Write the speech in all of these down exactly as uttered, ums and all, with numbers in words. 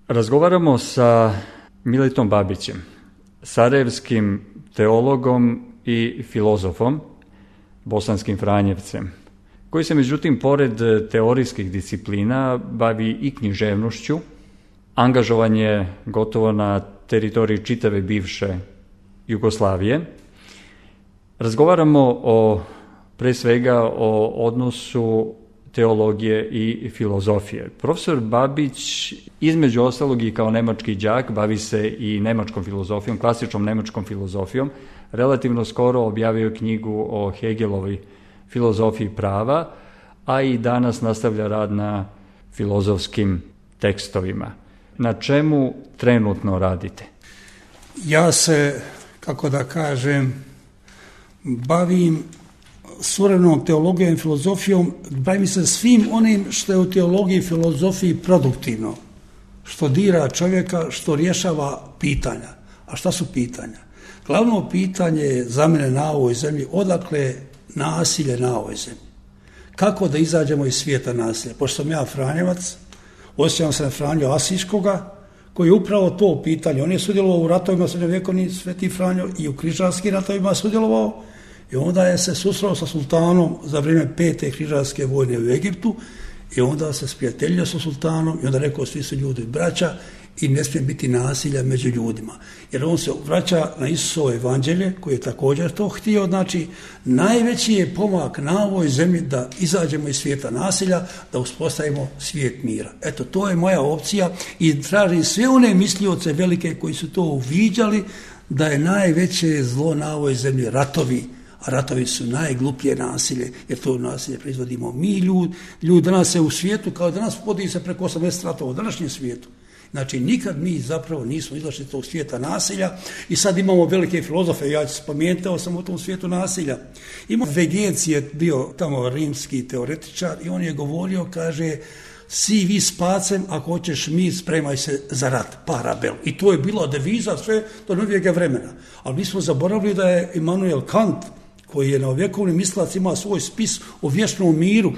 Razgovaramo sa Miletom Babićem, sarajevskim teologom i filozofom, bosanskim Franjevcem, koji se međutim pored teorijskih disciplina bavi i književnošću. Angažovan je gotovo na teritoriji čitave bivše Jugoslavije. Razgovaramo o, pre svega o odnosu teologije i filozofije. Profesor Babić, između ostalog i kao nemački đak, bavi se i nemačkom filozofijom, klasičnom nemačkom filozofijom. Relativno skoro objavio knjigu o Hegelovoj filozofiji prava, a i danas nastavlja rad na filozofskim tekstovima. Na čemu trenutno radite? Ja se, kako da kažem, bavim suvremenom teologijom i filozofijom, bavim se svim onim što je u teologiji i filozofiji produktivno, što dira čovjeka, što rješava pitanja. A šta su pitanja? Glavno pitanje je za mene na ovoj zemlji, odakle nasilje na ovoj zemlji. Kako da izađemo iz svijeta nasilja? Pošto sam ja Franjevac, osjećam se na Franju Asiškoga, koji je upravo to pitanje. On je sudjelovao u ratovima srednjovjekovni Sveti Franjo i u križarskim ratovima sudjelovao i onda je se susreo sa sultanom za vrijeme pete križarske vojne u Egiptu i onda se sprijateljio sa sultanom i onda rekao svi su ljudi braća i ne smije biti nasilja među ljudima. Jer on se vraća na Isusovo evanđelje koji je također to htio. Znači, najveći je pomak na ovoj zemlji da izađemo iz svijeta nasilja, da uspostavimo svijet mira. Eto, to je moja opcija i tražim sve one mislioce velike koji su to uviđali da je najveće zlo na ovoj zemlji ratovi, a ratovi su najgluplje nasilje, jer to nasilje proizvodimo mi ljudi. Ljudi danas se u svijetu, kao danas vodi se preko osamdeset ratova u današnjem svijetu. Znači, nikad mi zapravo nismo izašli iz tog svijeta nasilja i sad imamo velike filozofe, ja ću spomenuti sam u tom svijetu nasilja. Imamo Vegenci je bio tamo rimski teoretičar i on je govorio, kaže, si vi s pacem, ako hoćeš mir, spremaj se za rat, parabel. I to je bila deviza sve do novijega vremena. Ali mi smo zaboravili da je Immanuel Kant, koji je novovjekovni mislac, ima svoj spis o vječnom miru.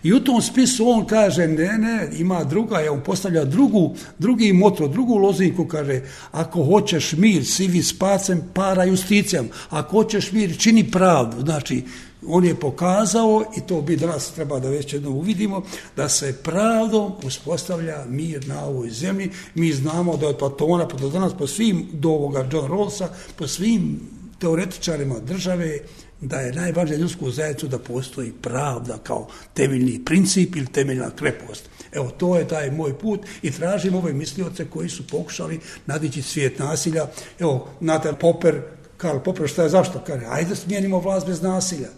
I u tom spisu on kaže, ne, ne, ima druga, je on postavlja drugu, drugi moto, drugu lozinku, kaže, ako hoćeš mir, sivi s pacem, para justicijam. Ako hoćeš mir, čini pravdu. Znači, on je pokazao, i to bi danas treba da već jedno uvidimo, da se pravdom uspostavlja mir na ovoj zemlji. Mi znamo da od Platona pa do danas, po svim, do ovoga John Rawlsa, po svim teoretičarima države, da je najvažnije ljudsku zajednicu da postoji pravda kao temeljni princip ili temeljna krepost. Evo, to je taj moj put i tražim ove mislioce koji su pokušali nadići svijet nasilja. Evo, Nathan Popper, Karl Popper, šta je zašto? Kaže, ajde smijenimo vlast bez nasilja.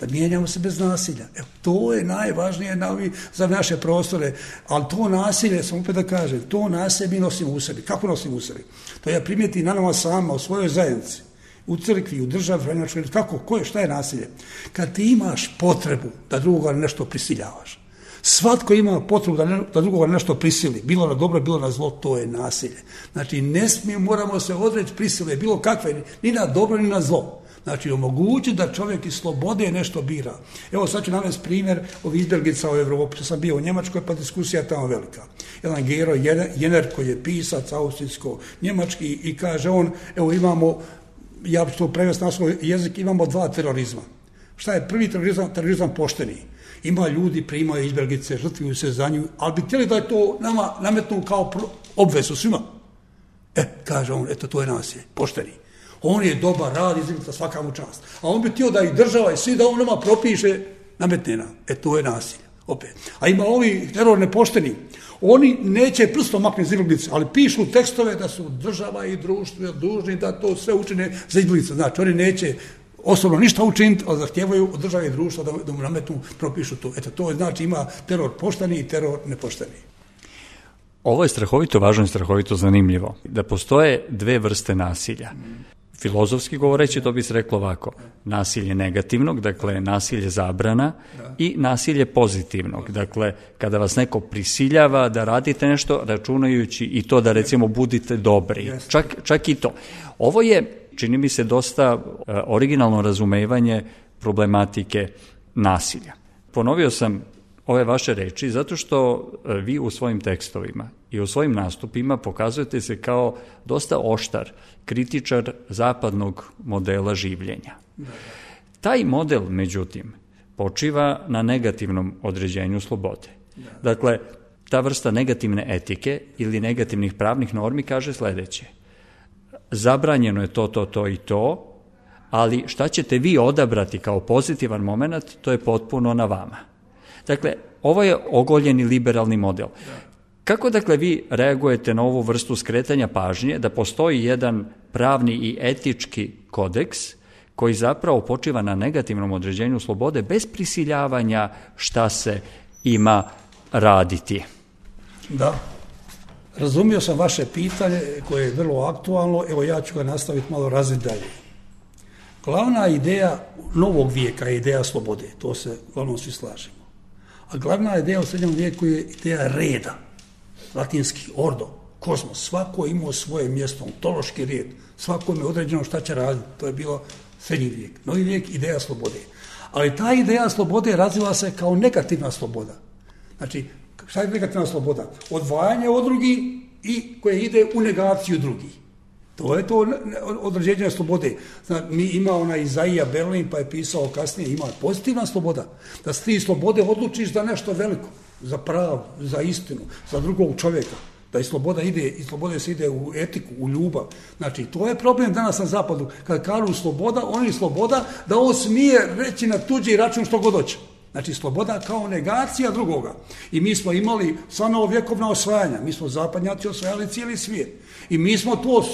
Da mijenjamo se bez nasilja. Evo, to je najvažnije na ovi, za naše prostore. Ali to nasilje, sam opet da kažem, to nasilje mi nosimo u sebi. Kako nosimo u sebi? To ja primijetim na nama sama, u svojoj zajednici, u crkvi, u državi, kako, koje, šta je nasilje? Kad ti imaš potrebu da drugoga nešto prisiljavaš, svatko ima potrebu da, ne, da drugoga nešto prisili, bilo na dobro, bilo na zlo, to je nasilje. Znači, ne smijemo, moramo se odreći prisile, bilo kakve, ni na dobro, ni na zlo. Znači, omogući da čovjek iz slobode nešto bira. Evo, sad ću navesti primjer ovih izbjeglica u Evropi. Sam bio u Njemačkoj, pa diskusija je tamo velika. Jedan Gero Jenner, koji je pisac austrijsko-njemački, i kaže on, evo imamo, ja ću to prevesti na svoj jezik, imamo dva terorizma. Šta je prvi terorizam? Terorizam pošteni. Ima ljudi, primaju izbjeglice, žrtvuju se za nju, ali bi htjeli da je to nama nametnu kao obvezu svima. E, kaže on, eto, to je nasilje, pošteni. On je dobar, rad, izbjeglica, svaka mu čast. A on bi htio da i država i svi da on nama propiše, nametne nam. E, to je nasilje, opet. A ima ovi teror nepošteni. Oni neće prstom maknuti za izbjeglice, ali pišu tekstove da su država i društvo dužni da to sve učine za izbjeglice. Znači, oni neće osobno ništa učiniti, ali zahtijevaju od države i društva da, da mu nametnu, propišu to. Eto, to znači ima teror pošteni i teror nepošteni. Ovo je strahovito važno i strahovito zanimljivo. Da postoje dve vrste nasilja. Filozofski govoreći, to bi se reklo ovako, nasilje negativnog, dakle nasilje zabrana, i nasilje pozitivnog, dakle kada vas neko prisiljava da radite nešto, računajući i to da recimo budite dobri, čak, čak i to. Ovo je, čini mi se, dosta uh, originalno razumevanje problematike nasilja. Ponovio sam ove vaše reči zato što vi u svojim tekstovima i u svojim nastupima pokazujete se kao dosta oštar kritičar zapadnog modela življenja. Taj model, međutim, počiva na negativnom određenju slobode. Dakle, ta vrsta negativne etike ili negativnih pravnih normi kaže sledeće. Zabranjeno je to, to, to i to, ali šta ćete vi odabrati kao pozitivan moment, to je potpuno na vama. Dakle, ovo je ogoljeni liberalni model. Kako, dakle, vi reagujete na ovu vrstu skretanja pažnje da postoji jedan pravni i etički kodeks koji zapravo počiva na negativnom određenju slobode bez prisiljavanja šta se ima raditi? Da, razumio sam vaše pitanje koje je vrlo aktualno, evo ja ću ga nastaviti malo razviti dalje. Glavna ideja novog vijeka je ideja slobode, to se uglavnom svi slažemo. A glavna ideja u srednjem vijeku je ideja reda, latinski ordo, kozmos, svako imao svoje mjesto, ontološki red, svako je određeno šta će raditi, to je bilo srednji vijek. Novi vijek, ideja slobode. Ali ta ideja slobode razvila se kao negativna sloboda. Znači, šta je negativna sloboda? Odvajanje od drugih i koje ide u negaciju drugih. To je to određenje slobode. Znači, mi ima ona Izaija Berlin, pa je pisao kasnije, ima pozitivna sloboda. Da s ti slobode odlučiš za nešto veliko, za pravu, za istinu, za drugog čovjeka. Da i sloboda ide, i slobode se ide u etiku, u ljubav. Znači, to je problem danas na zapadu. Kad kažu sloboda, oni sloboda da on smije reći na tuđi račun što god hoće. Znači, sloboda kao negacija drugoga. I mi smo imali sva novovjekovna osvajanja. Mi smo zapadnjaci osvajali cijeli svijet. I mi smo to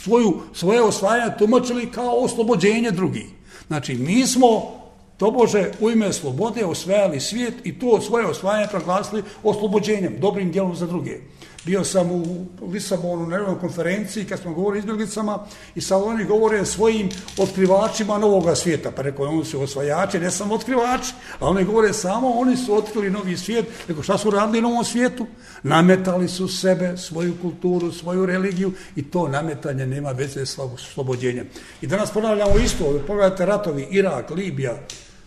svoju, svoje osvajanje tumačili kao oslobođenje drugih. Znači, mi smo tobože u ime slobode osvajali svijet i to svoje osvajanje proglasili oslobođenjem, dobrim djelom za druge. Bio sam u Lisabonu na jednoj konferenciji kad smo govorili o izbjeglicama i sad oni govore svojim otkrivačima novoga svijeta. Pa rekao, oni su osvajači, ne samo otkrivači, a oni govore samo, oni su otkrili novi svijet. Rekao, šta su radili u novom svijetu? Nametali su sebe, svoju kulturu, svoju religiju i to nametanje nema veze s oslobođenjem. I danas ponavljamo isto, pogledajte ratovi, Irak, Libija,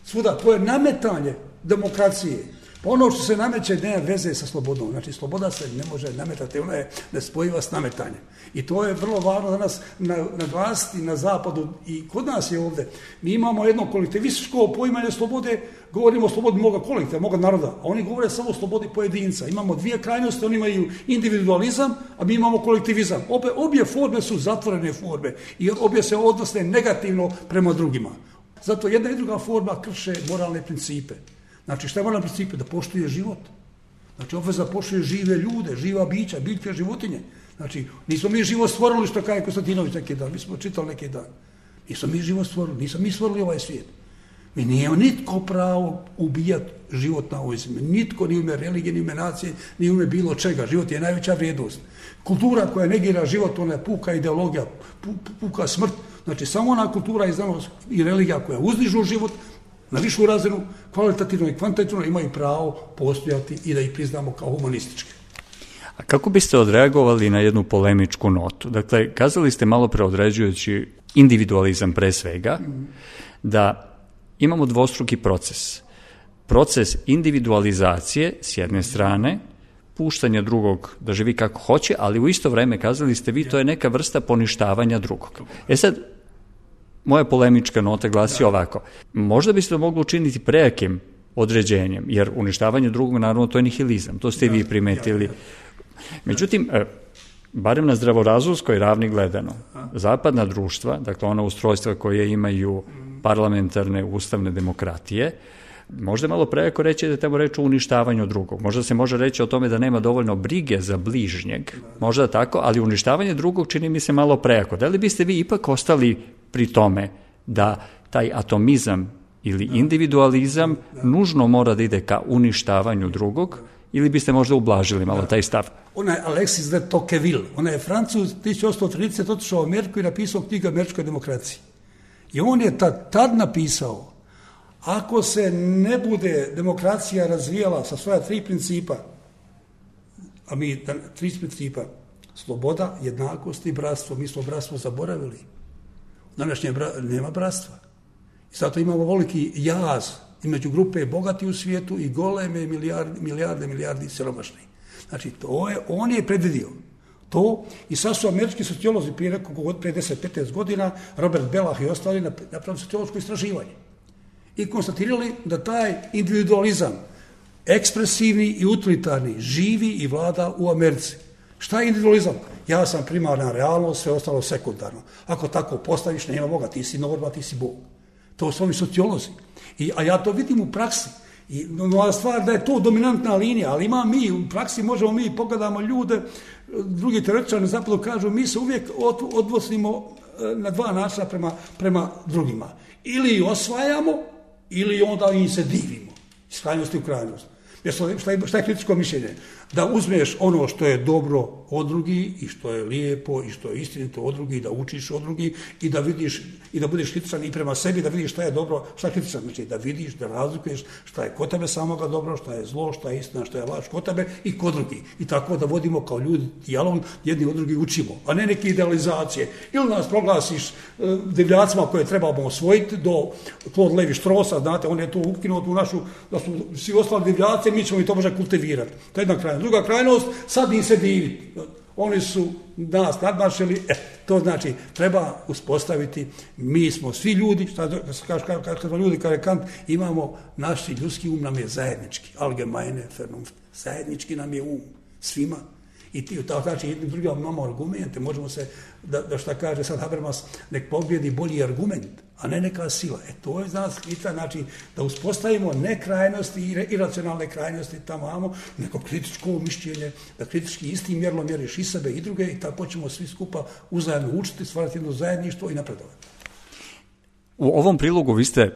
svuda, to je nametanje demokracije. Pa ono što se nameće nema veze sa slobodom. Znači, sloboda se ne može nametati, ona je nespojiva s nametanjem. I to je vrlo važno danas naglasiti na zapadu i kod nas je ovdje. Mi imamo jedno kolektivističko poimanje slobode, govorimo o slobodi moga kolektiva, moga naroda, a oni govore samo o slobodi pojedinca. Imamo dvije krajnosti, oni imaju individualizam, a mi imamo kolektivizam. Obje, obje forme su zatvorene forme i obje se odnose negativno prema drugima. Zato jedna i druga forma krše moralne principe. Znači, šta je moralni princip? Da poštuje život. Znači, obveza poštuje žive ljude, živa bića, biljke, životinje. Znači, nismo mi život stvorili, što kaže Konstantinović neki dan, mi smo čitali neki dan. Nismo mi život stvorili, nismo mi stvorili ovaj svijet. Mi nije nitko pravo ubijati život na ovoj zemlji. Nitko, ni u ime religije, ni u ime nacije, ni u ime bilo čega. Život je najveća vrijednost. Kultura koja negira život, ona je puka ideologija, puka smrt. Znači, samo ona kultura i znanost i religija koja uzdižu život na višu razinu, kvalitativno i kvantitativno imaju pravo postojati i da ih priznamo kao humanističke. A kako biste odreagovali na jednu polemičku notu? Dakle, kazali ste malo preodređujući individualizam pre svega, mm. da imamo dvostruki proces. Proces individualizacije s jedne strane, puštanja drugog da živi kako hoće, ali u isto vreme, kazali ste vi, to je neka vrsta poništavanja drugog. E sad, moja polemička nota glasi ovako. Možda biste to mogli učiniti prejakim određenjem, jer uništavanje drugog, naravno, to je nihilizam. To ste i vi primetili. Međutim, barem na zdravorazumskoj ravni gledano, zapadna društva, dakle ona ustrojstva koje imaju parlamentarne ustavne demokratije, možda je malo prejako reći da treba reći o uništavanju drugog. Možda se može reći o tome da nema dovoljno brige za bližnjeg, možda tako, ali uništavanje drugog čini mi se malo prejako. Da li biste vi ipak ostali pri tome da taj atomizam ili individualizam nužno mora da ide ka uništavanju drugog, ili biste možda ublažili malo taj stav? Ona je Alexis de Tocqueville, ona je Francuz, tisuću osamsto trideset otišao u Ameriku i napisao knjigu o američkoj demokraciji. I on je tad, tad napisao, ako se ne bude demokracija razvijala sa svoja tri principa, a mi tri principa, sloboda, jednakost i bratstvo, mi smo bratstvo zaboravili. Današnje bra, nema bratstva. I zato imamo veliki jaz između grupe bogati u svijetu i goleme milijarde, milijarde, milijardi siromašni. Znači, to je, on je predvidio to i sad su američki sociolozi prije nekog prije deset do petnaest godina, Robert Bellah i ostali napravili sociološko istraživanje i konstatirali da taj individualizam, ekspresivni i utilitarni, živi i vlada u Americi. Šta je individualizam? Ja sam primarna realnost, sve ostalo sekundarno. Ako tako postaviš, nema Boga, ti si norma, ti si Bog. To su ovi sociolozi. I, a ja to vidim u praksi. I nova stvar da je to dominantna linija, ali ima mi, u praksi možemo mi, pogledamo ljude, drugi teoretičari na zapadu kažu, mi se uvijek od, odnosimo na dva načina prema, prema drugima. Ili osvajamo, ili onda im se divimo. Iz krajnosti u krajnost. Šta je, šta je kritičko mišljenje? Da uzmeš ono što je dobro od drugi i što je lijepo i što je istinito od drugi, da učiš od drugi i da vidiš i da budeš kritičan i prema sebi, da vidiš šta je dobro, šta je kritičan, znači da vidiš, da razlikuješ šta je kod tebe samoga dobro, šta je zlo, šta je istina, šta je laž kod tebe i kod drugi. I tako da vodimo kao ljudi dijalog, jedni od drugih učimo, a ne neke idealizacije. Ili nas proglasiš uh, divljacima koje trebamo osvojiti do Claude Levi-Straussa, znate, on je to ukinuo tu našu, da su svi ostali divljaci, mi ćemo i to može kultivirati. To je jedna krajnost. Druga krajnost, sad im se divi. Oni su nas nadmašili, e, to znači treba uspostaviti, mi smo svi ljudi, šta kaže kad smo ljudi, kaže Kant, imamo, naši ljudski um nam je zajednički, allgemeine Vernunft, zajednički nam je um, svima. I ti, tako znači, jednim drugim imamo argumente, možemo se, da, da šta kaže sad Habermas, nek pobjedi bolji argument, a ne neka sila. E to je za nas ključan način da uspostavimo ne krajnosti i iracionalne krajnosti tamo imamo, neko kritičko mišljenje, da kritički istim mjerilom mjeriš i sebe i druge i tako ćemo svi skupa uzajamno učiti, stvarati jedno zajedništvo i napredovati. U ovom prilogu vi ste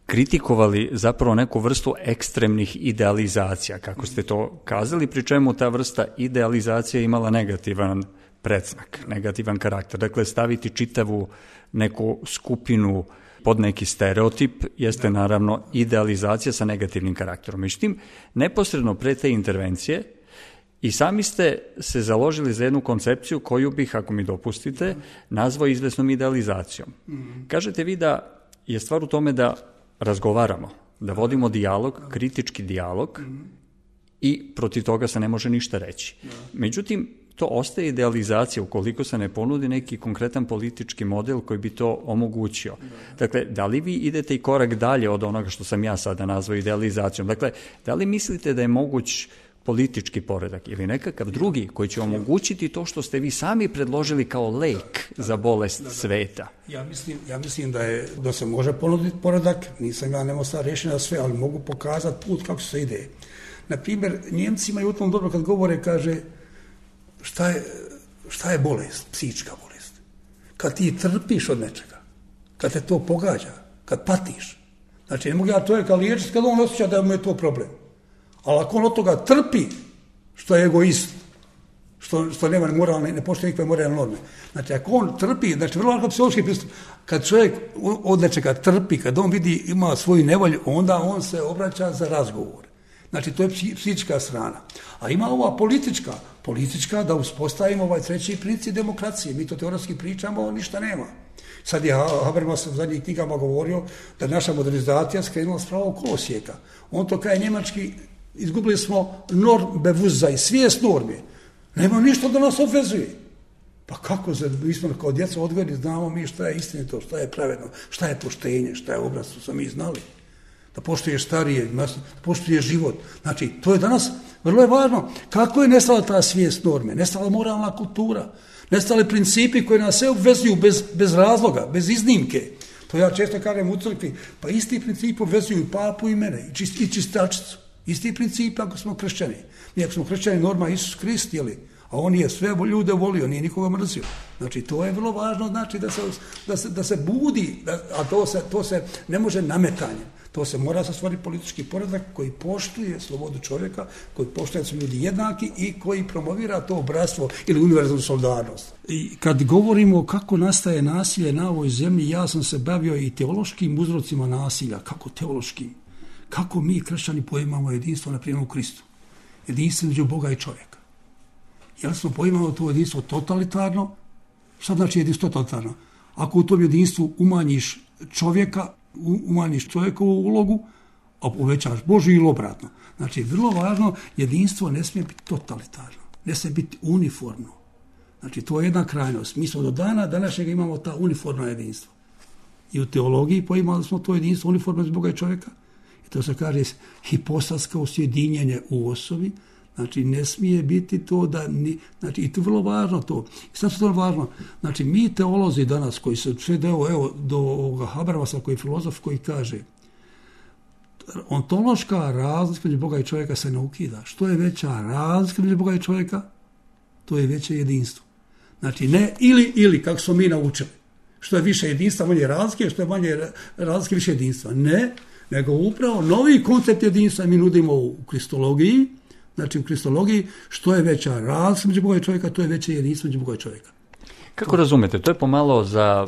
kritikovali zapravo neku vrstu ekstremnih idealizacija, kako ste to kazali, pri čemu ta vrsta idealizacije imala negativan predznak, negativan karakter. Dakle, staviti čitavu neku skupinu pod neki stereotip jeste naravno idealizacija sa negativnim karakterom. Međutim, neposredno pre te intervencije i sami ste se založili za jednu koncepciju koju bih, ako mi dopustite, nazvao izvesnom idealizacijom. Kažete vi da je stvar u tome da razgovaramo, da vodimo dijalog, kritički dijalog i protiv toga se ne može ništa reći. Međutim, to ostaje idealizacija ukoliko se ne ponudi neki konkretan politički model koji bi to omogućio. Dakle, da li vi idete i korak dalje od onoga što sam ja sada nazvao idealizacijom? Dakle, da li mislite da je moguć politički poredak ili nekakav drugi koji će omogućiti to što ste vi sami predložili kao lek za bolest sveta? Ja mislim, ja mislim da, je, da se može ponuditi poredak, nisam ja nemo sad rješenja na sve, ali mogu pokazati put kako se ide. Naprimjer, Njemci imaju u tom dobro kad govore, kaže, šta je, šta je bolest, psihička bolest? Kad ti trpiš od nečega, kad te to pogađa, kad patiš. Znači, ne mogu ja čovjeka liječiti kad on osjeća da mu je to problem. Ali ako on od toga trpi, što je egoist, što, što nema moralne, ne poštuje nikakve moralne norme. Znači, ako on trpi, znači, vrlo lako psihološki pristup, kad čovjek od nečega trpi, kad on vidi, ima svoju nevolju, onda on se obraća za razgovor. Znači, to je psihička strana. A ima ova politička, politička da uspostavimo ovaj treći princip demokracije. Mi to teoretski pričamo, ništa nema. Sad je Habermas u zadnjih knjigama govorio da naša modernizacija skrenula s pravog kolosijeka. On to kaže njemački, izgubili smo Normbewusstsein, svijest norme. Nema ništa da nas obvezuje. Pa kako se, mi smo kao djeca odgojeni, znamo mi šta je istinito, šta je pravedno, šta je poštenje, šta je obraz, to smo mi znali. Da poštuješ starije, da poštuješ život. Znači, to je danas vrlo je važno. Kako je nestala ta svijest norme? Nestala moralna kultura? Nestale principi koji nas sve obvezuju bez, bez razloga, bez iznimke? To ja često kažem u crkvi. Pa isti princip obvezuju i papu i mene, i, čist, i čistačicu. Isti princip ako smo kršćani. Mi ako smo kršćani, norma Isus Krist, jeli? A on je sve ljude volio, nije nikoga mrzio. Znači, to je vrlo važno, znači da se, da se, da se budi, da, a to se, to se ne može nametanjem. To se mora stvoriti politički poredak koji poštuje slobodu čovjeka, koji poštuje da su ljudi jednaki i koji promovira to bratstvo ili univerzalnu solidarnost. I kad govorimo kako nastaje nasilje na ovoj zemlji, ja sam se bavio i teološkim uzrocima nasilja. Kako teološkim? Kako mi, kršćani, poimamo jedinstvo na primjer u Kristu? Jedinstvo između Boga i čovjeka. Jel smo poimamo to jedinstvo totalitarno? Šta znači jedinstvo totalitarno? Ako u tom jedinstvu umanjiš čovjeka, umanjiš čovjekovu ulogu, a uvećavaš Božju ili obratno. Znači, vrlo važno, jedinstvo ne smije biti totalitarno, ne smije biti uniformno. Znači, to je jedna krajnost. Mi smo do dana današnjeg imamo ta uniformno jedinstvo. I u teologiji poimali smo to jedinstvo uniformno iz Boga i čovjeka. I to se kaže hipostatsko sjedinjenje u osobi. Znači, ne smije biti to da... Ni, znači, i to je vrlo važno to. I sad je to važno. Znači, mi teolozi danas koji se sve deo, evo, do ovoga Habermasa koji je filozof koji kaže ontološka razlika među Boga i čovjeka se ne ukida. Što je veća razlika među Boga i čovjeka, to je veće jedinstvo. Znači, ne ili, ili, kako smo mi naučili. Što je više jedinstva, manje razlike, što je manje razlike, više jedinstva. Ne, nego upravo novi koncept jedinstva mi nudimo u kristologiji. Znači, u kristologiji, što je veća razlika među Boga i čovjeka, to je veće jedinstvo među Boga i čovjeka. Kako razumete? To je pomalo za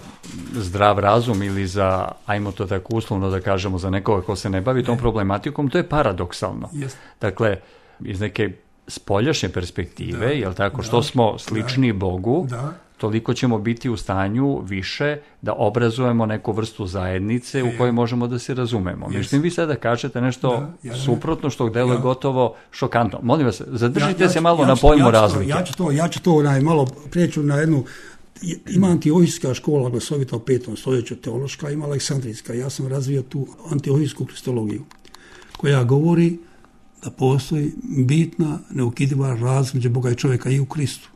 zdrav razum ili za, ajmo to tako uslovno da kažemo, za nekoga ko se ne bavi tom problematikom, to je paradoksalno. Yes. Dakle, iz neke spoljašnje perspektive, da, jel tako, da, što smo slični da, Bogu, da. Toliko ćemo biti u stanju više da obrazujemo neku vrstu zajednice e, u kojoj možemo da se razumemo. Yes. Međutim, vi sada kažete nešto da, ja, suprotno što deluje ja. gotovo šokantno. Molim vas, zadržite ja, ja, se malo ja, na pojmu ja razlike. Ja ću to, ja ću to onaj, malo preću na jednu. Ima antiohijska škola glasovita u petom stoljeću, teološka, ima aleksandrijska. Ja sam razvio tu antiohijsku kristologiju koja govori da postoji bitna, neukidiva razlika među Boga i čovjeka i u Kristu.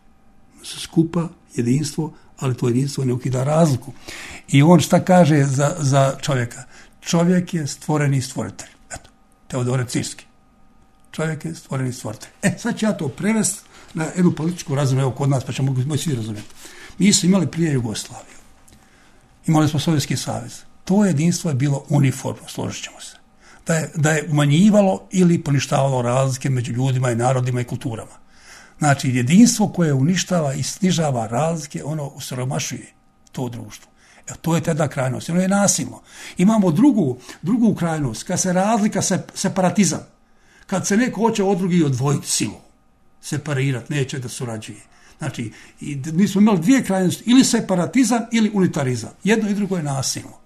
Skupa, jedinstvo, ali to jedinstvo ne ukida razliku. I on šta kaže za, za čovjeka? Čovjek je stvoreni stvoritelj. Eto, Teodore Cirski. Čovjek je stvoreni stvoritelj. E, sad ću ja to prevesti na jednu političku razinu, evo kod nas, pa ćemo moći svi razumjeti. Mi smo imali prije Jugoslaviju. Imali smo Sovjetski savez. To jedinstvo je bilo uniformno, složit ćemo se. Da je, da je umanjivalo ili poništavalo razlike među ljudima i narodima i kulturama. Znači, jedinstvo koje uništava i snižava razlike, ono osiromašuje to društvo. E, to je tada krajnost. Ono je nasilno. Imamo drugu, drugu krajnost, kad se razlika, se, separatizam. Kad se neko hoće od drugih odvojiti silom, separirati, neće da surađuje. Znači, i mi smo imali dvije krajnosti, ili separatizam ili unitarizam. Jedno i drugo je nasilno.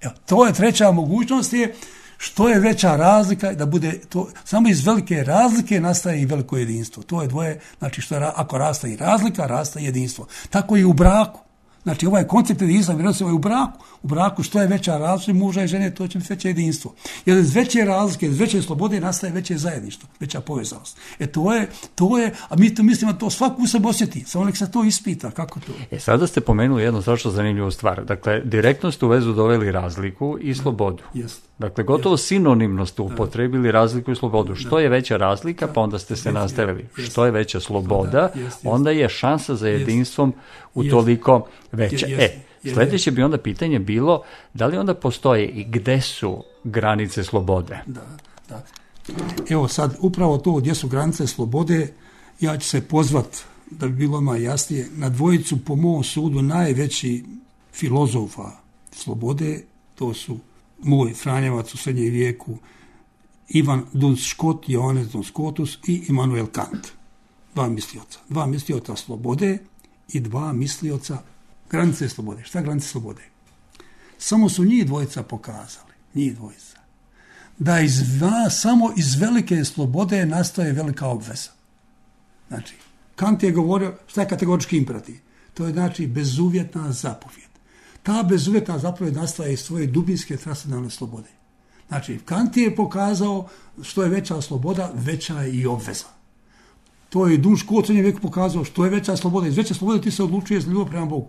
Evo, to je treća mogućnost, je što je veća razlika, da bude to, samo iz velike razlike nastaje i veliko jedinstvo. To je dvoje, znači što je, ako raste i razlika, raste jedinstvo. Tako i u braku. Znači, ovaj koncept jedinstva vjerojatno se ovaj u braku. U braku što je veća razlika muža i žene, to će biti veće jedinstvo. Jer iz veće razlike, iz veće slobode nastaje veće zajedništvo, veća povezanost. E to je, to je, a mi to mislimo to svako u sebi osjeti, samo nek se to ispita, kako to. E sada ste pomenuli jednu strašno zanimljivu stvar. Dakle, direktno ste u vezu doveli razliku i slobodu. Jest. Dakle, gotovo jest. Sinonimno ste upotrebili razliku i slobodu. Što da. je veća razlika, pa onda ste se nastavili. Jest. Što je veća sloboda, jest, jest. onda je šansa za jedinstvom utoliko veća. Jest. E, sljedeće bi onda pitanje bilo, da li onda postoje i gde su granice slobode? Da, da. Evo sad, upravo to gdje su granice slobode, ja ću se pozvat, da bi bilo malo jasnije, na dvojicu po mom sudu najveći filozofa slobode, to su moj Franjevac u srednjem vijeku, Ivan Duns Scott, Johannes Duns Scotus i Immanuel Kant. Dva mislioca. Dva mislioca slobode i dva mislioca granice slobode. Šta granice slobode? Samo su njih dvojica pokazali, njih dvojica, da iz, samo iz velike slobode nastaje velika obveza. Znači, Kant je govorio, šta je kategorički imperativ? To je znači bezuvjetna zapovjed. Ta bezuvjetna zapovjed nastaje iz svoje dubinske transcendentalne slobode. Znači, Kant je pokazao što je veća sloboda, veća je i obveza. To je Duns Scott u srednjem vijeku pokazao što je veća sloboda. Iz veće slobode ti se odlučuješ za ljubav prema Bogu.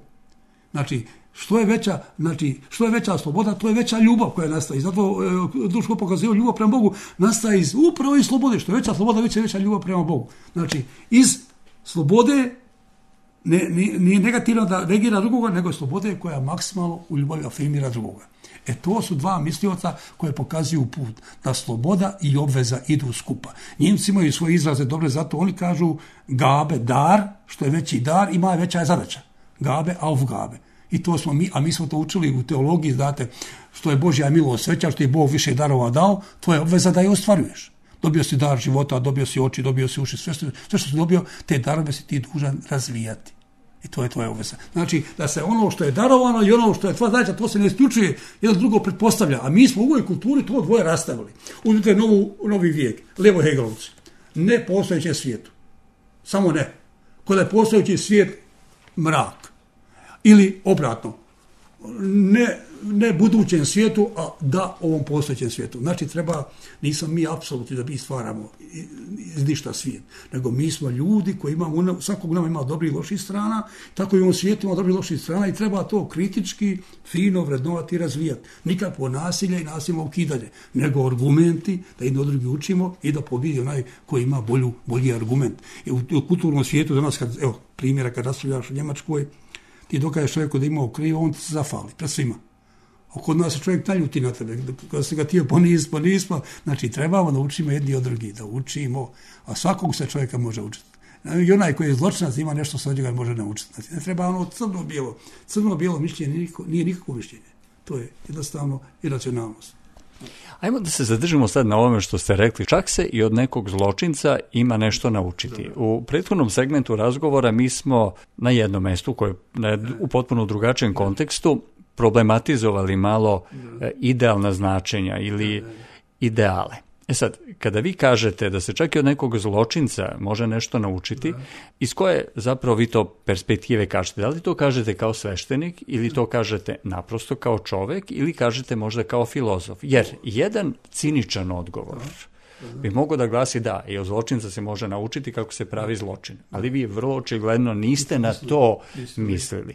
Znači, što je veća, znači, što je veća sloboda, to je veća ljubav koja nastaje. I zato e, Duns Scott pokazao ljubav prema Bogu nastaje iz upravo iz slobode. Što je veća sloboda, veća je veća ljubav prema Bogu. Znači, iz slobode ne, nije, nije negativno da negira drugoga, nego je slobode koja maksimalno u ljubavi afirmira drugoga. E to su dva mislioca koje pokazuju put da sloboda i obveza idu skupa. Njemci imaju svoje izraze dobre, zato oni kažu Gabe, dar, što je veći dar, ima veća je zadaća. Gabe, Aufgabe. I to smo mi, a mi smo to učili u teologiji, znate, što je Božja milost veća, što je Bog više darova dao, to je obveza da je ostvaruješ. Dobio si dar života, dobio si oči, dobio si uši, sve što, sve što si dobio, te darove si ti dužan razvijati. I to je tvoja obveza. Znači, da se ono što je darovano i ono što je tvoja zadaća, to se ne isključuje, jedno drugo pretpostavlja. A mi smo u ovoj kulturi to dvoje rastavili. Uzmite novu, novi vijek, Levo Hegelovci. Ne postojećem svijetu. Samo ne. Kod je postojeći svijet mrak. Ili obratno. Ne, ne budućem svijetu, a da ovom postojećem svijetu. Znači, treba, nisam mi apsolutni da mi stvaramo iz ništa svijet, nego mi smo ljudi koji imamo, svakog nama ima dobrih i loših strana, tako i u ovom svijetu ima dobrih i loših strana i treba to kritički, fino vrednovati i razvijati. Nikakvo nasilje i nasilno ukidanje, nego argumenti, da jedno drugi učimo i da pobjedi onaj koji ima bolju, bolji argument. I u, u kulturnom svijetu danas, kad, evo, primjera, kad raspravljaš u Njemačkoj, ti dokažeš čovjeku da imao krivo, on ti se zafali, pred svima. A kod nas se čovjek naljuti na tebe, kada se ga tio ponis, ponismo, znači trebamo da učimo jedni od drugi, da učimo, a svakog se čovjeka može učiti. I onaj koji je zločinac ima nešto sa njega može naučiti. Znači, ne treba ono crno-bijelo. Crno-bijelo mišljenje nije, nije nikakvo mišljenje. To je jednostavno iracionalnost. Ajmo da se zadržimo sad na ovome što ste rekli. Čak se i od nekog zločinca ima nešto naučiti. U prethodnom segmentu razgovora mi smo na jednom mestu, koje je u potpuno drugačijem kontekstu, problematizovali malo idealna značenja ili ideale. E sad, kada vi kažete da se čak i od nekog zločinca može nešto naučiti, iz koje zapravo vi to perspektive kažete? Da li to kažete kao sveštenik ili to kažete naprosto kao čovek ili kažete možda kao filozof? Jer jedan ciničan odgovor bi mogao da glasi da, i od zločinca se može naučiti kako se pravi zločin. Ali vi vrlo očigledno niste na to mislili.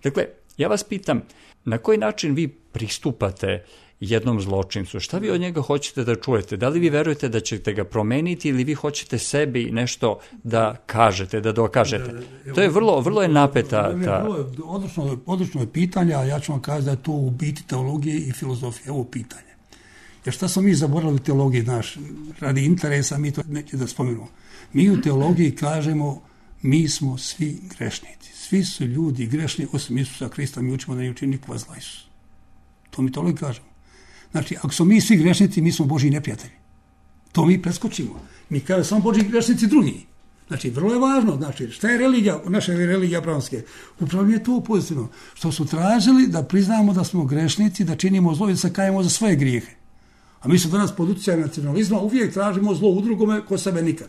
Dakle, ja vas pitam, na koji način vi pristupate jednom zločincu? Šta vi od njega hoćete da čujete? Da li vi verujete da ćete ga promeniti ili vi hoćete sebi nešto da kažete, da dokažete? To je vrlo, vrlo je napeta. Ta... Odlično, odlično je pitanje, a ja ću vam kazati da je to u biti teologije i filozofije. Ovo pitanje. Jer šta smo mi zaboravili u teologiji, naš, radi interesa, mi to neće da spomenemo. Mi u teologiji kažemo, mi smo svi grešnici. Svi su ljudi grešni, osim Isusa Krista, mi učimo da ne učini nikova zla Isus. To mi teologiji kažemo. Znači, ako smo mi svi grešnici, mi smo Božji neprijatelji. To mi preskočimo. Mi kažemo samo Božji grešnici drugi. Znači, vrlo je važno. Znači, šta je religija, naša religija abrahamske? Upravo je to pozitivno. Što su tražili da priznamo da smo grešnici, da činimo zlo i da se kajemo za svoje grijehe. A mi se danas pod utjecajem nacionalizma uvijek tražimo zlo u drugome ko sebe nikad.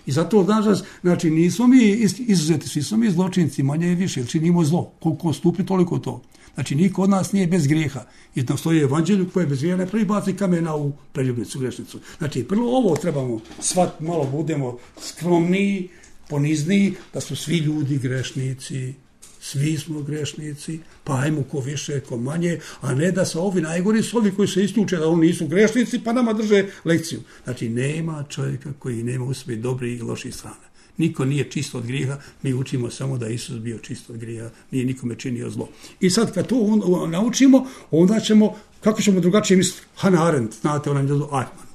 I zato, danas, znači, nismo mi izuzeti, svi smo mi zločinci, manje i više, jer činimo zlo. Koliko stupi, toliko to. Znači, niko od nas nije bez grijeha. I na stoji evanđelju koje je bez grijeha, ne prvi baci kamena u preljubnicu, grešnicu. Znači, prvo ovo trebamo shvatiti, malo budemo skromniji, ponizniji, da su svi ljudi grešnici. Svi smo grešnici, pa ajmo ko više, ko manje, a ne da se ovi najgori su ovi koji se isključe da oni nisu grešnici, pa nama drže lekciju. Znači, nema čovjeka koji nema u sebi dobrih i loših strana. Niko nije čist od grijeha, mi učimo samo da je Isus bio čist od grijeha, nije nikome činio zlo. I sad kad to on, naučimo, onda ćemo, kako ćemo drugačije misliti? Hannah Arendt, znate, ona je Eichmann.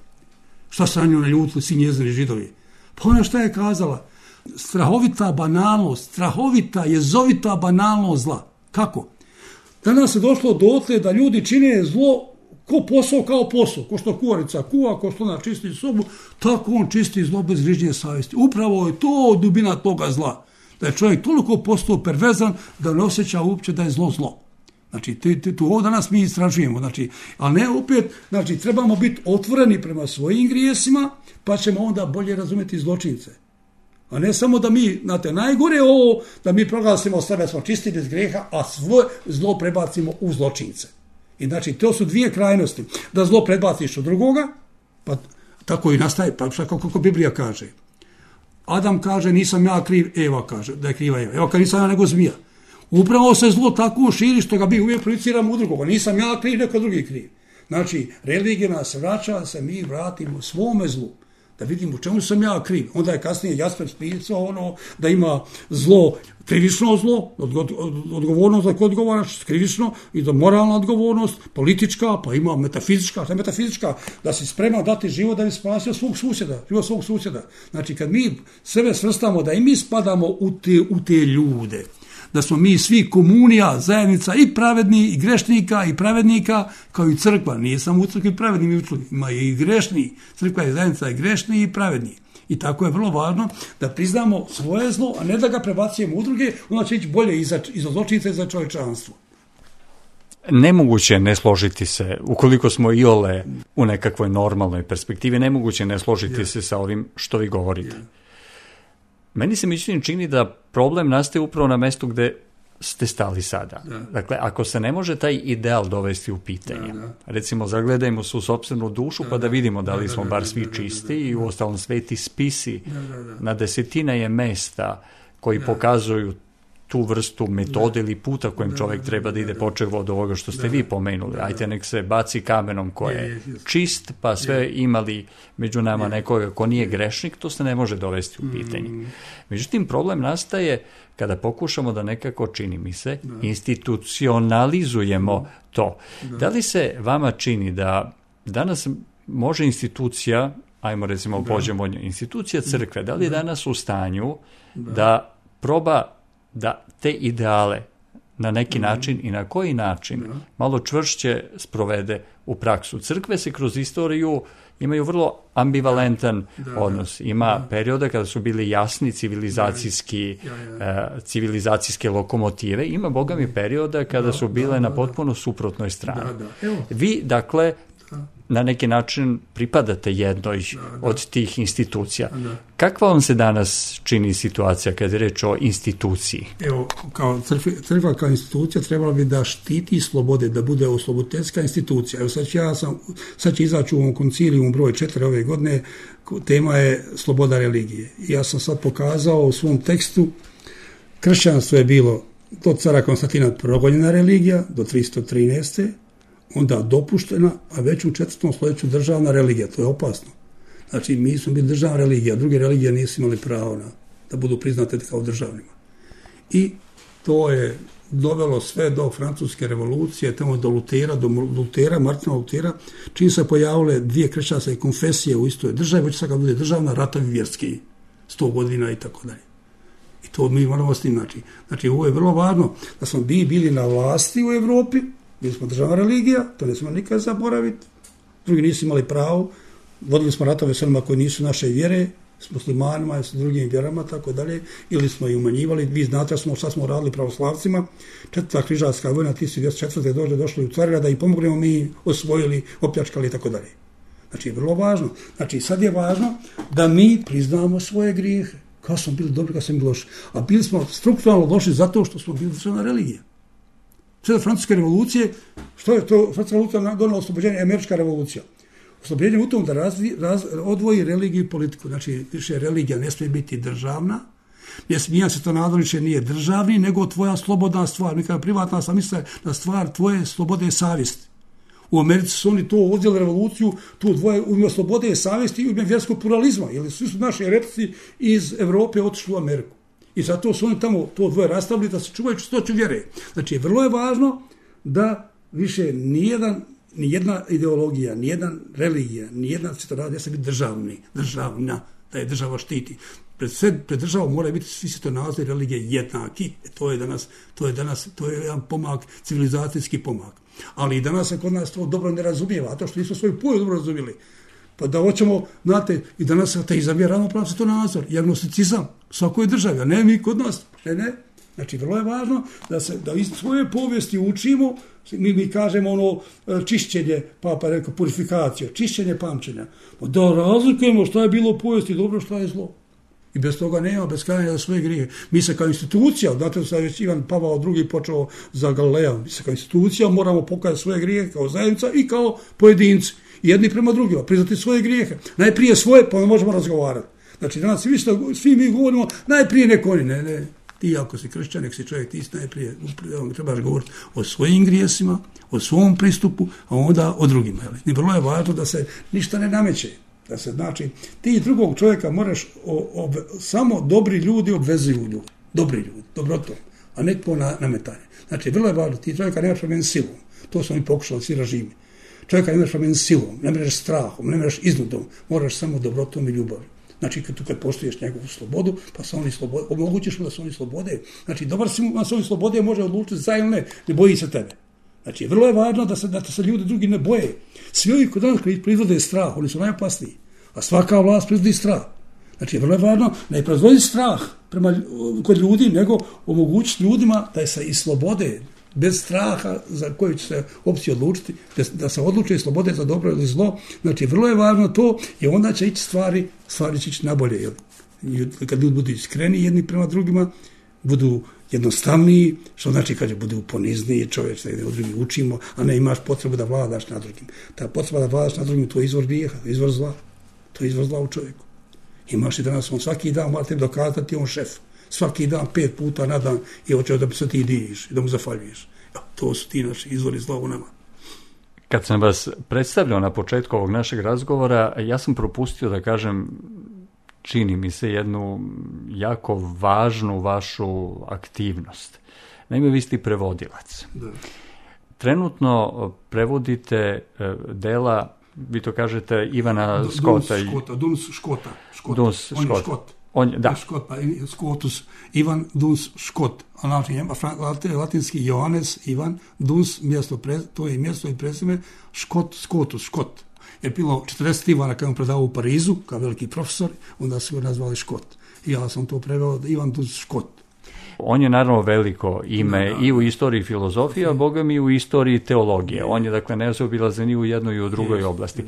Šta se na nju naljutili svi njezini Židovi? Pa ona šta je kazala? Strahovita banalnost, strahovita, jezovita banalnost zla. Kako? Danas je došlo dotle da ljudi čine zlo ko posao kao posao. Ko što kuvarica kuva, ko što ona čisti sobu, tako on čisti zlo bez grižnje savjesti. Upravo je to dubina toga zla. Da je čovjek toliko postao perverzan da ne osjeća uopće da je zlo zlo. Znači, to ovo danas mi istražujemo. Znači, ali ne opet, znači, trebamo biti otvoreni prema svojim grijesima, pa ćemo onda bolje razumjeti zločince. A ne samo da mi, znate, najgore je ovo, da mi proglasimo sebe, smo čisti bez grijeha, a svoje zlo prebacimo u zločince. I znači, to su dvije krajnosti. Da zlo prebaciš od drugoga, pa tako i nastaje, pa kako, kako Biblija kaže. Adam kaže, nisam ja kriv, Eva kaže, da je kriva Eva. Eva kaže, nisam ja nego zmija. Upravo se zlo tako širi što ga mi uvijek projiciramo u drugoga. Nisam ja kriv, neko drugi kriv. Znači, religija nas vraća da se mi vratimo svome zlu. Da vidimo u čemu sam ja kriv. Onda je kasnije Jasper spisao ono da ima zlo, krivično zlo, odgovornost da kod odgovaraš, krivično, i da moralna odgovornost, politička, pa ima metafizička, šta je metafizička, da si spreman dati život da bi spasio svog susjeda, život svog susjeda. Znači, kad mi sebe svrstamo da i mi spadamo u te, u te ljude, da smo mi svi komunija, zajednica i pravedni, i grešnika, i pravednika, kao i crkva. Nije samo u crkvi pravedni, ima i grešni. Crkva je zajednica i grešni i pravedni. I tako je vrlo važno da priznamo svoje zlo, a ne da ga prebacujemo u druge, onda će ići bolje i za, i za zločince i za čovječanstvo. Nemoguće je ne složiti se, ukoliko smo iole u nekakvoj normalnoj perspektivi, nemoguće je ne složiti yeah. se sa ovim što vi govorite. Yeah. Meni se mišljenje čini da problem nastaje upravo na mestu gde ste stali sada. Da. Dakle, ako se ne može taj ideal dovesti u pitanje, da, da. recimo zagledajmo se u sopstvenu dušu da, pa da vidimo da li da, smo da, bar da, svi da, čisti da, da, da, i u ostalom sveti spisi da, da, da. na desetine je mesta koji da. pokazuju tu vrstu metode da. ili puta kojim da, čovjek treba da ide, počev od ovoga što ste da, vi pomenuli. Da, Ajte nek se baci kamenom ko je, je čist, pa sve je. imali među nama je. nekoga ko nije grešnik, to se ne može dovesti u pitanje. Mm. Međutim, problem nastaje kada pokušamo da nekako, čini mi se, da. institucionalizujemo to. Da. da li se vama čini da danas može institucija, ajmo recimo da. pođemo, institucija crkve, da li je danas u stanju da, da proba da te ideale na neki da. način i na koji način da. malo čvršće sprovede u praksu? Crkve se kroz istoriju imaju vrlo ambivalentan da, odnos. Ima da. perioda kada su bili jasni civilizacijski, da, ja, ja. Uh, civilizacijske lokomotive. Ima, boga mi, perioda kada da, su bile da, da, na potpuno suprotnoj strani. Da, da. Evo. Vi, dakle, da. na neki način pripadate jednoj da, da. od tih institucija. Da. Kakva vam se danas čini situacija kada je reč o instituciji? Evo, kao crkva, crkva kao institucija trebala bi da štiti slobode, da bude osloboditeljska institucija. Evo sad, ja sam, sad će izaći u ovom konciliju broj četiri ove godine, tema je sloboda religije. Ja sam sad pokazao u svom tekstu, kršćanstvo je bilo do cara Konstantina progonjena religija, do tristo trinaeste. onda dopuštena, a već u četvrtom stoljeću državna religija. To je opasno. Znači, mi smo bili državna religija, druge religije nisu imali pravo na, da budu priznate kao državnima. I to je dovelo sve do francuske revolucije, tamo do Lutera, do Lutera, Martina Lutera, čim se pojavile dvije kršćanske konfesije u istoj državi, već sad kad bude državna, ratovi vjerski, sto godina i tako dalje. I to mi moramo s tim naći. Znači, ovo je vrlo važno da smo bi bili na vlasti u Evropi, bili smo državna religija, to ne smo nikad zaboraviti, drugi nisu imali pravo, vodili smo ratove s onima koji nisu naše vjere, s muslimanima i s drugim vjerama, tako dalje, ili smo ih umanjivali. Vi znate smo, šta smo radili pravoslavcima, četvrta križarska vojna, tisuću dvjesto četvrte došli, došli u Carigrad da i pomognemo, mi osvojili, opljačkali i tako dalje. Znači, je vrlo važno. Znači, sad je važno da mi priznamo svoje grijehe. Kao smo bili dobri, kao smo bili loši. A bili smo strukturalno loši zato što smo bili državna religija. Sve do francuske revolucije, što je to, francuska revolucija donala oslobođenje, američka revolucija. Oslobođenje u tom da razvi, raz, odvoji religiju i politiku. Znači, više religija ne smije biti državna, ne smije se to nadoliče nije državni, nego tvoja slobodna stvar. Mi kada privatna sam misle na stvar tvoje slobode i savjesti. U Americi su oni to uzeli revoluciju, tu dvoje umio slobode i savjesti i umio vjerskog pluralizma, jer svi su naši heretici iz Evrope otišli u Ameriku. I zato su oni tamo to dvoje rastavili da se čuvaju čistoću vjere. Znači, vrlo je važno da više nijedan, nijedna ideologija, nijedna religija, nijedna svjetonazor ne smije biti državni, državna, da je država štiti. Pred, sve, pred državom moraju biti svi svjetonazori religije jednaki. E, to je danas, to je danas, to je jedan pomak, civilizacijski pomak. Ali i danas se kod nas to dobro ne razumijeva, a to što nismo svoju poju dobro razumijeli. Pa da hoćemo, znate, i danas se te izabije ravnopravno svjetonazor, i agnosticizam, svakoj državi, a ne mi kod nas, ne, ne. Znači, vrlo je važno da se da iz svoje povijesti učimo, mi, mi kažemo ono čišćenje, papa je rekao purifikacija, čišćenje pamćenja. Da razlikujemo što je bilo u povijesti dobro, što je zlo. I bez toga nema, bez kajanja za svoje grijehe. Mi se kao institucija, znate da je Ivan Pavao drugi počeo za Galileja, mi se kao institucija moramo pokazati svoje grijehe kao zajednica i kao pojedinci. Jedni prema drugima, priznati svoje grijehe. Najprije svoje, pa možemo razgovarati. Znači, danas svi, što, svi mi govorimo, najprije neko oni, ne, ne. Ti ako si kršćan, nek si čovjek, ti si najprije, trebaš govoriti o svojim grijesima, o svom pristupu, a onda o drugima. I vrlo je važno da se ništa ne nameće. Da se, znači, ti drugog čovjeka moraš, o, o, samo dobri ljudi obvezuju ljudi. Dobri ljudi, dobrotom, a ne po na, nametanje. Znači, vrlo je važno, ti čovjeka nemaš promijeniti silom. To su oni pokušali, svi režimi. Čovjeka ne možeš promijeniti silom, ne možeš strahom, ne možeš iznudom, moraš samo dobrotom i ljubavlju. Znači, kad, kad poštuješ njegovu slobodu, pa se oni slobode, omogućiš mu da se oni slobode. Znači, dobar si mu, da se oni slobode može odlučiti za ili ne, ne boji se tebe. Znači, vrlo je važno da se, da se ljudi drugi ne boje. Svi ovi kod nas koji proizvode strah, oni su najopasniji. A svaka vlast proizvodi strah. Znači, vrlo je važno ne proizvodi strah prema, kod ljudi, nego omogućiti ljudima da se i slobode, bez straha za koju će se opciju odlučiti, da se odluče i slobode za dobro ili zlo. Znači, vrlo je važno to i onda će ići stvari, stvari će ići nabolje. Jel? Kad ljudi budu iskreni jedni prema drugima, budu jednostavniji, što znači kad budu ponizniji čovječ, da od drugih učimo, a ne imaš potrebu da vladaš nad drugim. Ta potreba da vladaš nad drugim, to je izvor grijeha, izvor zla. To je izvor zla u čovjeku. Imaš i danas, on svaki dan mora tebi dokazati, on šef. Svaki dan, pet puta na dan i hoće da se ti diviš i da mu zahvaljuješ. Ja, to su ti naši izvori zla u nama. Kad sam vas predstavljao na početku ovog našeg razgovora, ja sam propustio da kažem, čini mi se, jednu jako važnu vašu aktivnost. Naime, vi ste prevodilac. Da. Trenutno prevodite dela, vi to kažete, Ivana Skota. Duns Škota, Duns Škota. Škot. Duns On je Škot. On je, da. Škot, pa Skotus, Ivan Duns Škot. Znači, latinski Johannes Ivan Duns, mjesto, to je mjesto i prezime, Škot, Skotus, Škot. Je bilo četrdeset Ivana kad on predavao u Parizu, kao veliki profesor, onda su ga nazvali Škot. I ja sam to preveo Ivan Duns Škot. On je naravno veliko ime da, da. i u istoriji filozofije, a boga mi u istoriji teologije. On je, dakle, nezaobilazan i u jednoj i u drugoj yes. oblasti.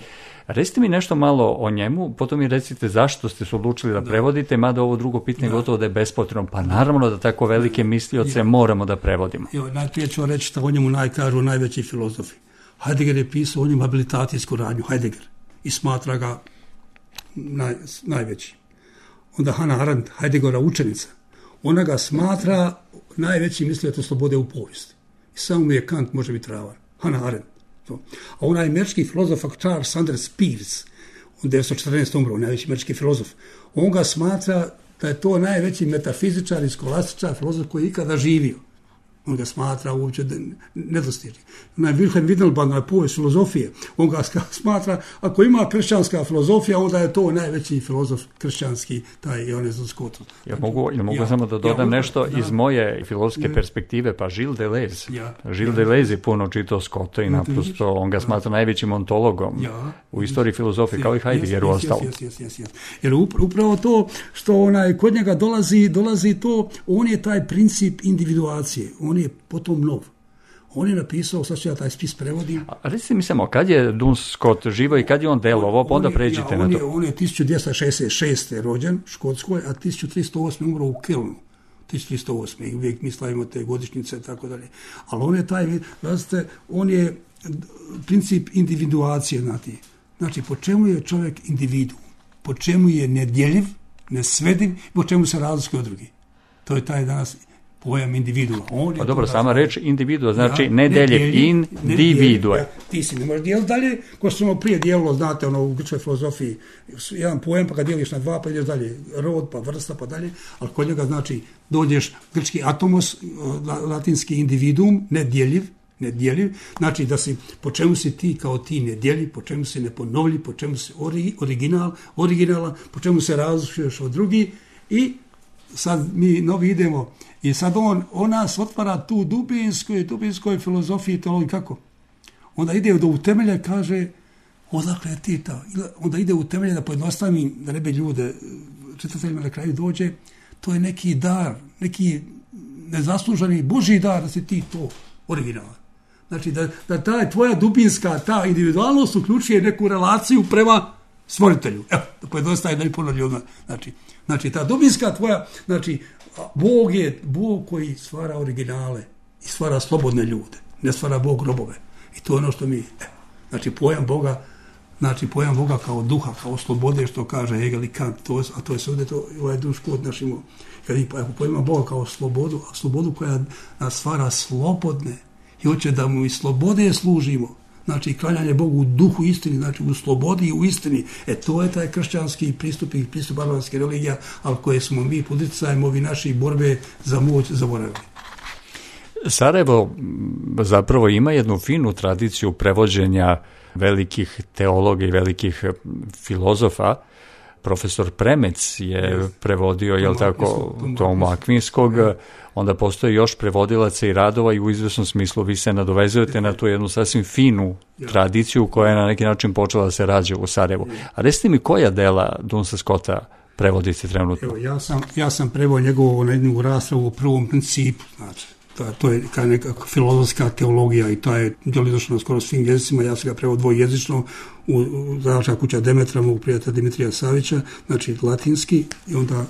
Recite mi nešto malo o njemu, potom mi recite zašto ste se odlučili da, da. prevodite, mada ovo drugo pitanje da. gotovo da je bespotrebno. Pa naravno da tako velike mislioce ja. moramo da prevodimo. Jo, najprije ću reći što o njemu najkažu najveći filozofi. Heidegger je pisao o njemu habilitacijsku radnju, Heidegger, i smatra ga naj, najveći. Onda Hannah Arendt, Heideggera učenica, ona ga smatra najveći mislioc slobode u povijesti. I samo mu je Kant može biti ravan. Hannah Arendt. To. A onaj američki filozof Charles Sanders Peirce, on devetsto četrnaeste umro, najveći američki filozof, on ga smatra da je to najveći metafizičar i skolastičar filozof koji je ikada živio. On ga smatra uopće nedostižnim. Onaj Wilhelm Wittgenbach na povijest filozofije, on ga smatra, ako ima kršćanska filozofija, onda je to najveći filozof kršćanski, taj Johannes Duns Scotus. Ja mogu, ja mogu ja, samo da dodam ja, nešto da, iz moje filozofske ne, perspektive, pa Gilles Deleuze. Ja, Gilles ja, Deleuze je puno čitao Scotta i naprosto on ga smatra najvećim ontologom ja, u istoriji filozofije, kao i Heidegger u ostalo. Jer upravo to što onaj, kod njega dolazi, dolazi to, on je taj princip individuacije, on je potom nov. On je napisao, sad ću ja taj spis prevodim. A recite mi samo, kad je Duns Scott živo i kad je on delovao, pa onda pređite ja, na to. Je, on je tisuću dvjesto šezdeset šeste. rođen u Škotskoj, a tisuću tristo osme umro u Kelnu. tisuću tristo osme. I uvijek mi slavimo te godišnjice i tako dalje. Ali on je taj, znate, on je princip individuacije, znate. Znači, po čemu je čovjek individu? Po čemu je nedjeljiv, nesvediv, po čemu se razlikuje od drugih? To je taj danas pojam individua. On pa dobro, sama reč individua, znači ja, nedeljev, individue. Ja, ti si ne možeš dijeliti dalje, ko što smo prije dijelilo, znate, ono, u grčkoj filozofiji, jedan pojem, pa ga dijeliš na dva, pa ideš dalje, rod, pa vrsta, pa dalje, ali kod njega, znači, dođeš grčki atomos, latinski individuum, nedjeljiv, nedjeljiv, znači da si, po čemu si ti kao ti nedjeljiv, po čemu si neponovljiv, po čemu si ori, original, originalan, po čemu se razlikuješ od drugih i sad mi novi idemo i sad on, on nas otvara tu dubinskoj, dubinskoj filozofiji, teologiji, kako? Onda ide do utemelja, kaže, odakle ti ta? Onda ide u temelje da pojednostavim, da ne bi ljude, čitateljima na kraju dođe, to je neki dar, neki nezasluženi Božji dar da si ti to originalan. Znači da, da ta tvoja dubinska, ta individualnost uključuje neku relaciju prema stvoritelju. Evo, da pojednostavim, da mi puno ljudima. Znači, znači, ta dubinska tvoja, znači, Bog je Bog koji stvara originale i stvara slobodne ljude. Ne stvara Bog robove. I to je ono što mi, evo, znači, pojam Boga, znači, pojam Boga kao duha, kao slobode, što kaže Hegel i Kant, to, a to je sve to, ovaj Duns Scott našim, kad pojma Boga kao slobodu, a slobodu koja nas stvara slobodne i hoće da mu i slobode služimo. Znači, klanjanje Bogu u duhu istini, znači u slobodi i u istini. E, to je taj kršćanski pristup i pristup barbarske religija, ali koje smo mi pod utjecajem ovi naši borbe za moć zaboravili. Sarajevo zapravo ima jednu finu tradiciju prevođenja velikih teologa i velikih filozofa. Profesor Premec je yes. prevodio, jel tako, Tomu Akvinskog, yeah. onda postoji još prevodilaca i radova i u izvesnom smislu vi se nadovezujete yeah. na tu jednu sasvim finu yeah. tradiciju koja je na neki način počela da se rađa u Sarajevu. Yeah. A recite mi koja dela Dunsa Scotta prevodite trenutno? Evo, ja sam, ja sam preveo njegovu na jednu raspravu u prvom principu, znači, to, to je kao neka filozofska teologija i to je djelidošlo na skoro svim jezicima, ja sam ga preveo dvojezično u, u Zadačka kuća Demetra, mog prijatelja Dimitrija Savića, znači latinski i onda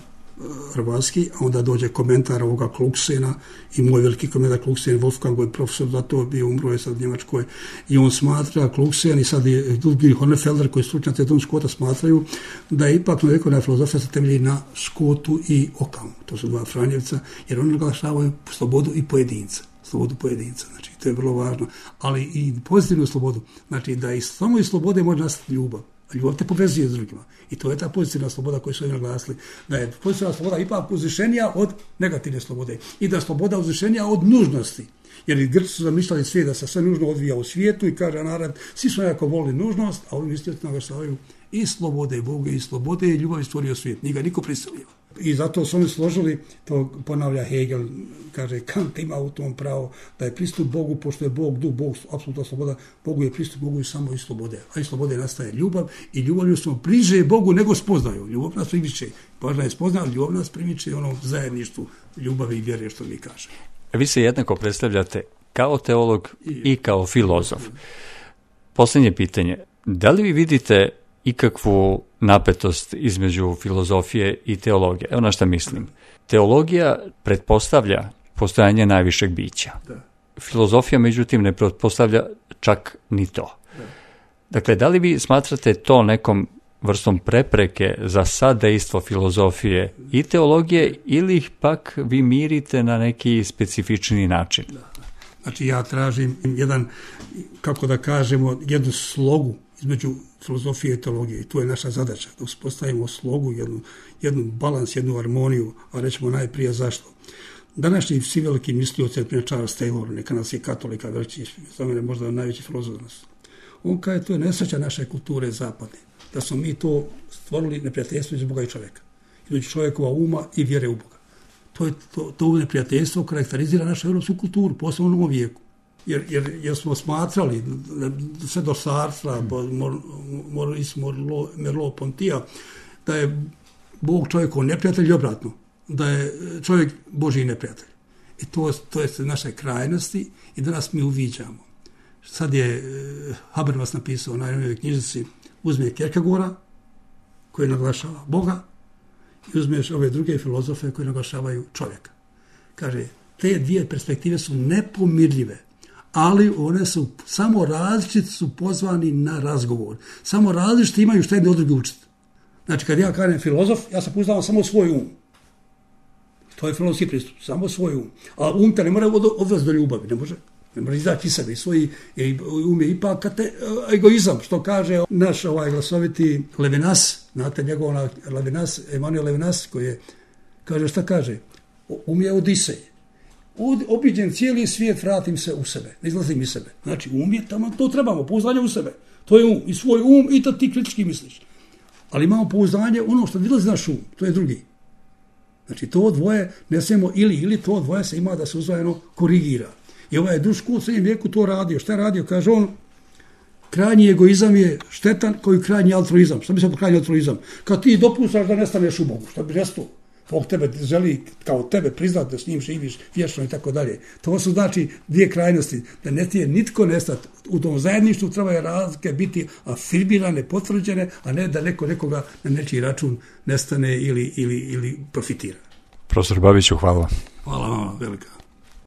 hrvatski, a onda dođe komentar ovoga Kluksena i moj veliki komentar Kluksen, Wolfgang je profesor, zato bio umro je sad u Njemačkoj i on smatra Kluksen i sad je Ludwig Honefelder koji stručnjaci Don Scotta smatraju da je ipak novjekovna filozofija se temelji na Scottu i Ockham, to su dva Franjevca, jer oni naglašavaju slobodu i pojedinca, slobodu pojedinca, znači to je vrlo važno, ali i pozitivnu slobodu, znači da i samo iz slobode može nastati ljubav. Ljubav te povezuje s drugima. I to je ta pozitivna sloboda koju su oni naglasili. Da je pozitivna sloboda ipak uzvišenija od negativne slobode. I da je sloboda uzvišenija od nužnosti. Jer i Grci su zamišljali svijet da se sve nužno odvija u svijetu i kaže narod, svi su nekako volili nužnost, a oni isto naglašavaju i slobode Boga i slobode i ljubav stvorio svijet. Nije ga niko prisilio. I zato su oni složili, to ponavlja Hegel, kaže Kant ima u tom pravo da je pristup Bogu, pošto je Bog duh, Bog apsolutna sloboda, Bogu je pristup Bogu i samo iz slobode. A iz slobode nastaje ljubav i ljubavlju smo bliže Bogu nego spoznaju. Ljubav nas primiče. Važno je spoznati, ljubav nas primiče ono zajedništvu ljubavi i vjere što mi kaže. Vi se jednako predstavljate kao teolog i kao filozof. Posljednje pitanje, da li vi vidite ikakvu napetost između filozofije i teologije? Evo na šta mislim. Teologija pretpostavlja postojanje najvišeg bića. Da. Filozofija, međutim, ne pretpostavlja čak ni to. Da. Dakle, da li vi smatrate to nekom vrstom prepreke za sadejstvo filozofije i teologije ili ih pak vi mirite na neki specifični način? Da. Znači, ja tražim jedan, kako da kažemo, jednu slogu između filozofije i teologije. I to je naša zadaća, da uspostavimo slogu, jednu, jednu balans, jednu harmoniju, a rećemo najprije zašto. Današnji svi veliki mislioci, primjer Charles Taylor, neka nas je katolika, veliki, za mene možda najveći filozof. On kaže, to je nesreća naše kulture zapadne, da smo mi to stvorili neprijateljstvo između Boga i čovjeka, između čovjekova uma i vjere u Boga. To, je, to, to neprijateljstvo karakterizira našu europsku kulturu, posebno u novom vijeku. Jer, jer, jer smo smatrali sve do Sartra, Maurice Merleau-Ponty, da je Bog čovjekov neprijatelj i obratno, da je čovjek Božji neprijatelj. I to, to je naše krajnosti i danas mi uviđamo. Sad je Habermas napisao na jednoj knjižici, uzme Kierkegaarda koji naglašava Boga i uzmeš ove druge filozofe koji naglašavaju čovjeka. Kaže, te dvije perspektive su nepomirljive, ali one su samo različiti, su pozvani na razgovor. Samo različiti imaju što jedni od drugi učiti. Znači, kad ja kažem filozof, ja se pouzdam samo svoj um. To je filozofski pristup, samo svoj um. A um te ne mora odvesti do ljubavi, ne može. Ne može izaći iz sebe. I svoj um je ipak kate, egoizam, što kaže naš ovaj glasoviti Levinas, znate njegov Levinas, Emanuel Levinas, koji je, kaže, šta kaže? Um je Odisej. Obiđen cijeli svijet, vratim se u sebe, ne izlazim iz sebe. Znači, um je tamo, to trebamo, pouzdanje u sebe. To je um, i svoj um, i to ti kritički misliš. Ali imamo pouzdanje, ono što vylazi naš um, to je drugi. Znači, to dvoje ne smijemo ili, ili to dvoje se ima da se uzvajeno korigira. I ovaj Duško u srednjem vijeku to radio. Šta je radio? Kaže on, krajnji egoizam je štetan koji krajnji altruizam. Šta bi se po krajnji altruizam? Kad ti dopuštaš da nestaneš u Bogu, šta bi restao? Bog tebe želi kao tebe priznati da s njim živiš vječno i tako dalje. To su znači dvije krajnosti, da ne ti je nitko nestati. U tom zajedništvu trebaju razlike biti afirmirane, potvrđene, a ne da neko nekoga na nečiji račun nestane ili, ili, ili profitira. Profesor Babiću, hvala vam. Hvala vam, velika.